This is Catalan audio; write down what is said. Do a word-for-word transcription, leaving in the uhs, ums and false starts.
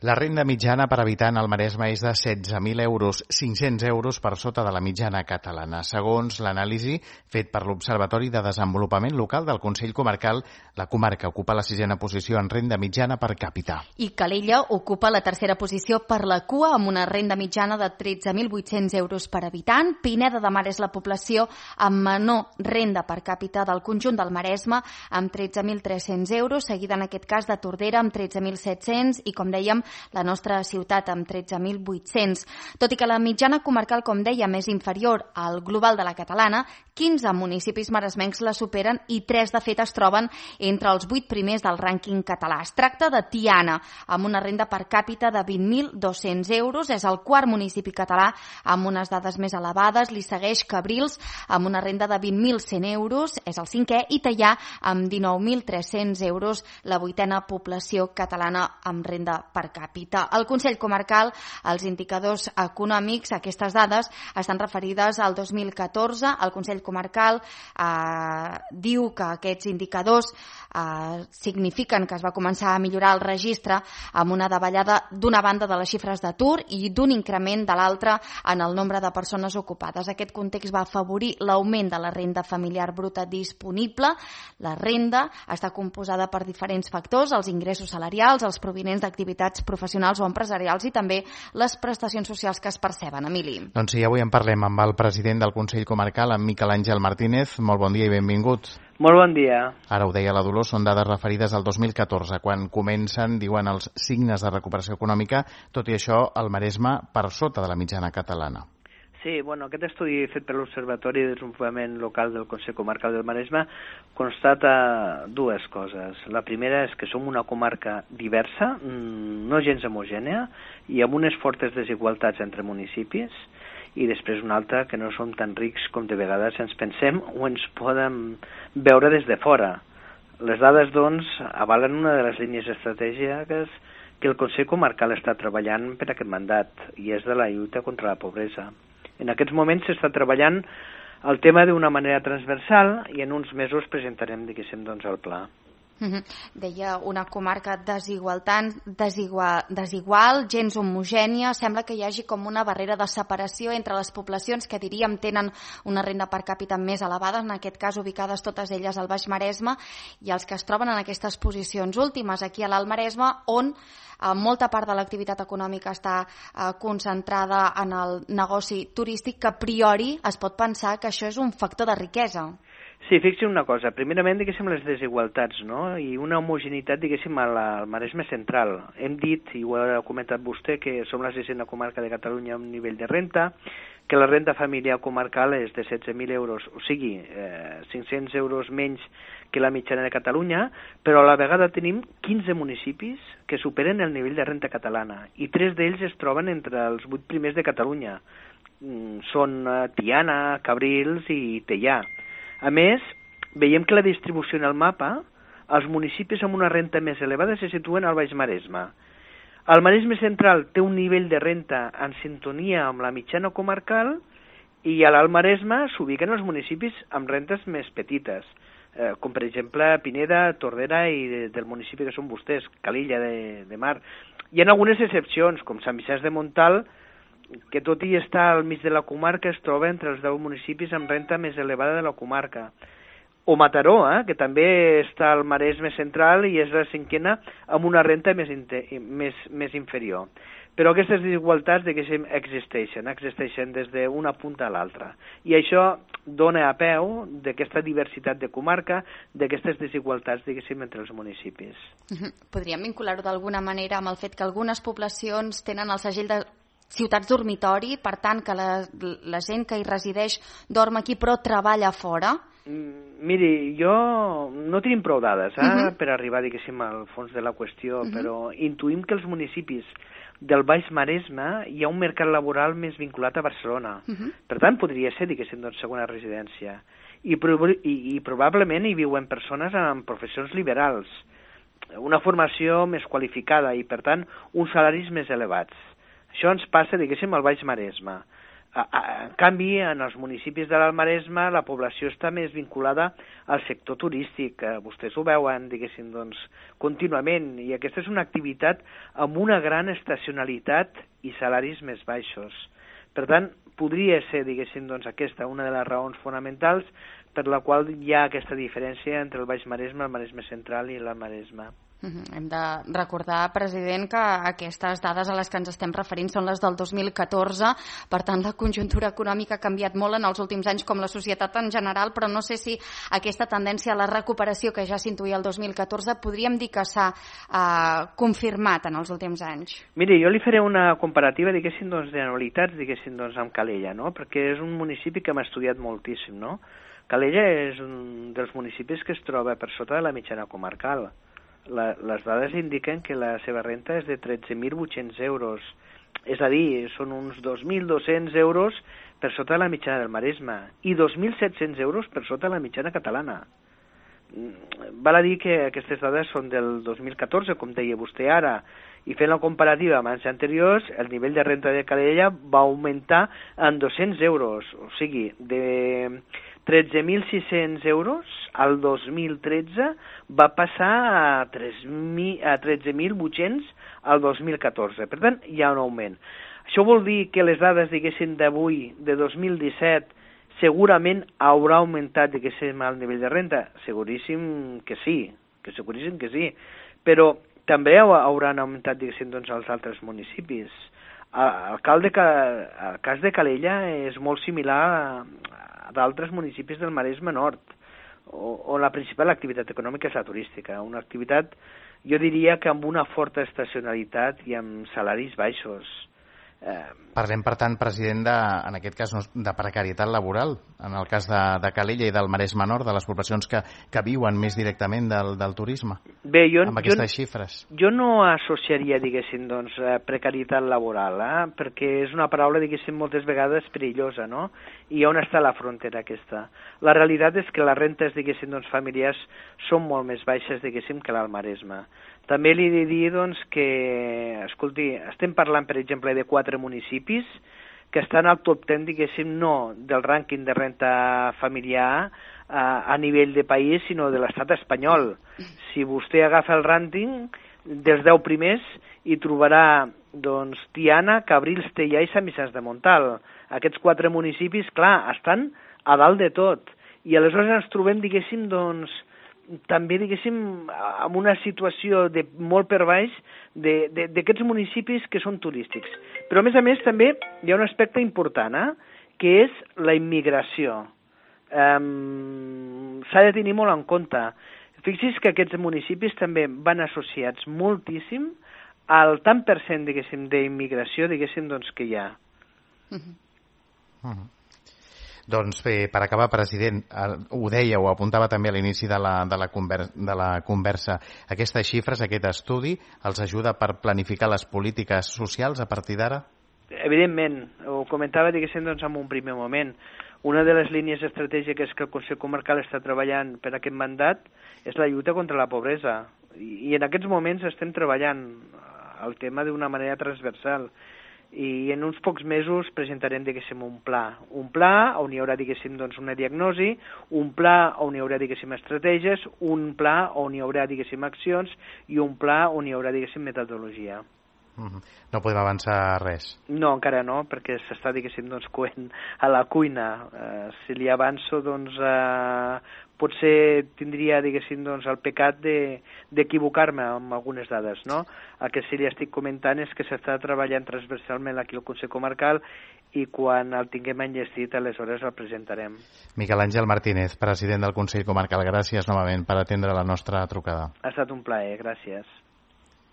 La renda mitjana per habitant al Maresme és de setze mil euros, cinc-cents euros per sota de la mitjana catalana. Segons l'anàlisi fet per l'Observatori de Desenvolupament Local del Consell Comarcal, la comarca ocupa la sisena posició en renda mitjana per càpita. I Calella ocupa la tercera posició per la cua amb una renda mitjana de tretze mil vuit-cents euros per habitant. Pineda de Mar és la població amb menor renda per càpita del conjunt del Maresme amb tretze mil tres-cents euros, seguida en aquest cas de Tordera amb tretze mil set-cents i, com dèiem, la nostra ciutat amb tretze mil vuit-cents. Tot i que la mitjana comarcal, com dèiem, és inferior al global de la catalana, quinze municipis maresmencs la superen i tres, de fet, es troben entre els vuit primers del rànquing català. Es tracta de Tiana, amb una renda per càpita de vint mil dos-cents euros. És el quart municipi català amb unes dades més elevades. Li segueix Cabrils, amb una renda de vint mil cent euros. És el cinquè. I Teià, amb dinou mil tres-cents euros, la vuitena població catalana amb renda per càpita. El Consell Comarcal, els indicadors econòmics, aquestes dades estan referides al dos mil catorze. El Consell Comarcal eh, diu que aquests indicadors eh, signifiquen que es va començar a millorar el registre amb una davallada d'una banda de les xifres d'atur i d'un increment de l'altra en el nombre de persones ocupades. Aquest context va afavorir l'augment de la renda familiar bruta disponible. La renda està composada per diferents factors, els ingressos salarials, els provinents d'activitats professionals o empresarials i també les prestacions socials que es perceben. Emili. Doncs sí, avui en parlem amb el president del Consell Comarcal, en Miquel Àngel Martínez. Molt bon dia i benvingut. Molt bon dia. Ara ho deia la Dolors, són dades referides al dos mil catorze, quan comencen, diuen, els signes de recuperació econòmica, tot i això el Maresme per sota de la mitjana catalana. Sí, bueno, aquest estudi fet per l'Observatori de Desenvolupament Local del Consell Comarcal del Maresme constata dues coses. La primera és que som una comarca diversa, no gens homogènia, i amb unes fortes desigualtats entre municipis, i després una altra, que no som tan rics com de vegades ens pensem o ens podem veure des de fora. Les dades, doncs, avalen una de les línies estratègiques que el Consell Comarcal està treballant per aquest mandat, i és de la lluita contra la pobresa. En aquests moments s'està treballant el tema d'una manera transversal i en uns mesos presentarem, diguéssim, doncs, el pla. Uh-huh. Deia una comarca desigualtant, desigual, desigual, gens homogènia. Sembla que hi hagi com una barrera de separació entre les poblacions que diríem tenen una renda per càpita més elevada, en aquest cas ubicades totes elles al Baix Maresme, i els que es troben en aquestes posicions últimes aquí a l'Alt Maresme, on eh, molta part de l'activitat econòmica està eh, concentrada en el negoci turístic, que a priori es pot pensar que això és un factor de riquesa. Sí, fixi una cosa. Primerament, diguéssim, les desigualtats, no? I una homogeneïtat, diguéssim, al, al Maresme central. Hem dit, i ho ha comentat vostè, que som la sisena comarca de Catalunya amb nivell de renta, que la renda familiar comarcal és de setze mil euros, o sigui, eh, cinc-cents euros menys que la mitjana de Catalunya, però a la vegada tenim quinze municipis que superen el nivell de renta catalana, i tres d'ells es troben entre els vuit primers de Catalunya. Mm, són eh, Tiana, Cabrils i Teià. A més, veiem que la distribució en el mapa, els municipis amb una renta més elevada se situen al Baix Maresme. El Maresme central té un nivell de renta en sintonia amb la mitjana comarcal i a l'Alt Maresme s'ubiquen els municipis amb rentes més petites, eh, com per exemple Pineda, Tordera i de, del municipi que són vostès, Calella de, de Mar. Hi ha algunes excepcions, com Sant Vicenç de Montal, que tot i estar al mig de la comarca es troba entre els deu municipis amb renta més elevada de la comarca. O Mataró, eh, que també està al Maresme central i és la cinquena amb una renta més, més, més inferior. Però aquestes desigualtats, diguéssim, existeixen, existeixen des d'una punta a l'altra. I això dona a peu d'aquesta diversitat de comarca, d'aquestes desigualtats, diguéssim, entre els municipis. Podríem vincular-ho d'alguna manera amb el fet que algunes poblacions tenen el segell de ciutats dormitori, per tant que la, la gent que hi resideix dorm aquí però treballa fora? Mm, miri, jo no tenim prou dades eh, uh-huh. per arribar, diguéssim, al fons de la qüestió, uh-huh. però intuïm que els municipis del Baix Maresme hi ha un mercat laboral més vinculat a Barcelona. Uh-huh. Per tant, podria ser, diguéssim, doncs, segona residència. I, i, I probablement hi viuen persones amb professions liberals, una formació més qualificada i, per tant, uns salaris més elevats. Això ens passa, diguéssim, al Baix Maresme. En canvi, en els municipis de l'Alt Maresme la població està més vinculada al sector turístic. Vostès ho veuen, diguéssim, doncs, contínuament, i aquesta és una activitat amb una gran estacionalitat i salaris més baixos. Per tant, podria ser, diguéssim, doncs, aquesta una de les raons fonamentals per la qual hi ha aquesta diferència entre el Baix Maresme, el Maresme Central i l'Alt Maresme. Uh-huh. Hem de recordar, president, que aquestes dades a les que ens estem referint són les del dos mil catorze, per tant la conjuntura econòmica ha canviat molt en els últims anys, com la societat en general, però no sé si aquesta tendència a la recuperació que ja s'intuïa el dos mil catorze podríem dir que s'ha eh, confirmat en els últims anys. Miri, jo li faré una comparativa, diguéssim, doncs, d'anualitats, diguéssim, doncs, amb Calella, no? Perquè és un municipi que hem estudiat moltíssim, no? Calella és un dels municipis que es troba per sota de la mitjana comarcal. La, les dades indiquen que la seva renta és de tretze mil vuit-cents euros, és a dir, són uns dos mil dos-cents euros per sota de la mitjana del Maresme i dos mil set-cents euros per sota de la mitjana catalana. Val a dir que aquestes dades són del dos mil catorze, com deia vostè ara, i fent la comparativa amb anys anteriors, el nivell de renta de Calella va augmentar en dos-cents euros, o sigui, de tretze mil sis-cents euros al dos mil tretze va passar a tretze mil vuit-cents al dos mil catorze. Per tant, hi ha un augment. Això vol dir que les dades, diguéssim, d'avui, de dos mil disset, segurament haurà augmentat, diguéssim, el nivell de renta? Seguríssim que sí, que seguríssim que sí. Però també hauran augmentat, diguéssim, doncs, els altres municipis. El cas de, el cas de Calella és molt similar a d'altres municipis del Maresme Nord, on la principal activitat econòmica és la turística, una activitat, jo diria que amb una forta estacionalitat i amb salaris baixos. Eh... Parlem, per tant, president, de, en aquest cas de precarietat laboral, en el cas de, de Calella i del Maresme Nord, de les poblacions que, que viuen més directament del, del turisme, Bé, jo, amb aquestes jo, xifres. Jo no associaria, diguéssim, doncs, precarietat laboral, eh? Perquè és una paraula, diguéssim, moltes vegades perillosa, no? I on està la frontera aquesta? La realitat és que les rentes, diguéssim, doncs, familiars són molt més baixes, diguéssim, que l'Alt Maresme. També li he de dir, doncs, que, escolti, estem parlant, per exemple, de quatre municipis que estan al top ten, diguéssim, no del rànquing de renta familiar a, a nivell de país, sinó de l'estat espanyol. Si vostè agafa el rànquing dels deu primers, hi trobarà, doncs, Tiana, Cabrils, Teià i Sant Vicenç de Montal. Aquests quatre municipis, clar, estan a dalt de tot. I aleshores ens trobem, diguéssim, doncs, també, diguéssim, en una situació de molt per baix d'aquests municipis que són turístics. Però, a més a més, també hi ha un aspecte important, eh? Que és la immigració. Um, S'ha de tenir molt en compte. Fixi's que aquests municipis també van associats moltíssim al tant per cent, diguéssim, d'immigració, diguéssim, doncs, que hi ha. Uh-huh. Uh-huh. Doncs bé, per acabar, president, ho deia, ho apuntava també a l'inici de, la, de, la conversa, de la conversa, aquestes xifres, aquest estudi, els ajuda per planificar les polítiques socials a partir d'ara? Evidentment, ho comentava, diguéssim, doncs, en un primer moment. Una de les línies estratègiques que el Consell Comarcal està treballant per aquest mandat és la lluita contra la pobresa. I, i en aquests moments estem treballant el tema d'una manera transversal. I en uns pocs mesos presentarem, diguéssim, un pla. Un pla on hi haurà, diguéssim, doncs, una diagnosi, un pla on hi haurà, diguéssim, estratègies, un pla on hi haurà, diguéssim, accions i un pla on hi haurà, diguéssim, metodologia. Mm-hmm. No podem avançar res? No, encara no, perquè s'està, diguéssim, doncs, coent a la cuina. Eh, si li avanço, doncs, eh, potser tindria, diguéssim, doncs, el pecat d'equivocar-me de, amb algunes dades, no? El que sí li estic comentant és que s'està treballant transversalment aquí al Consell Comarcal i quan el tinguem enllestit, aleshores el presentarem. Miquel Àngel Martínez, president del Consell Comarcal, gràcies novament per atendre la nostra trucada. Ha estat un plaer, gràcies.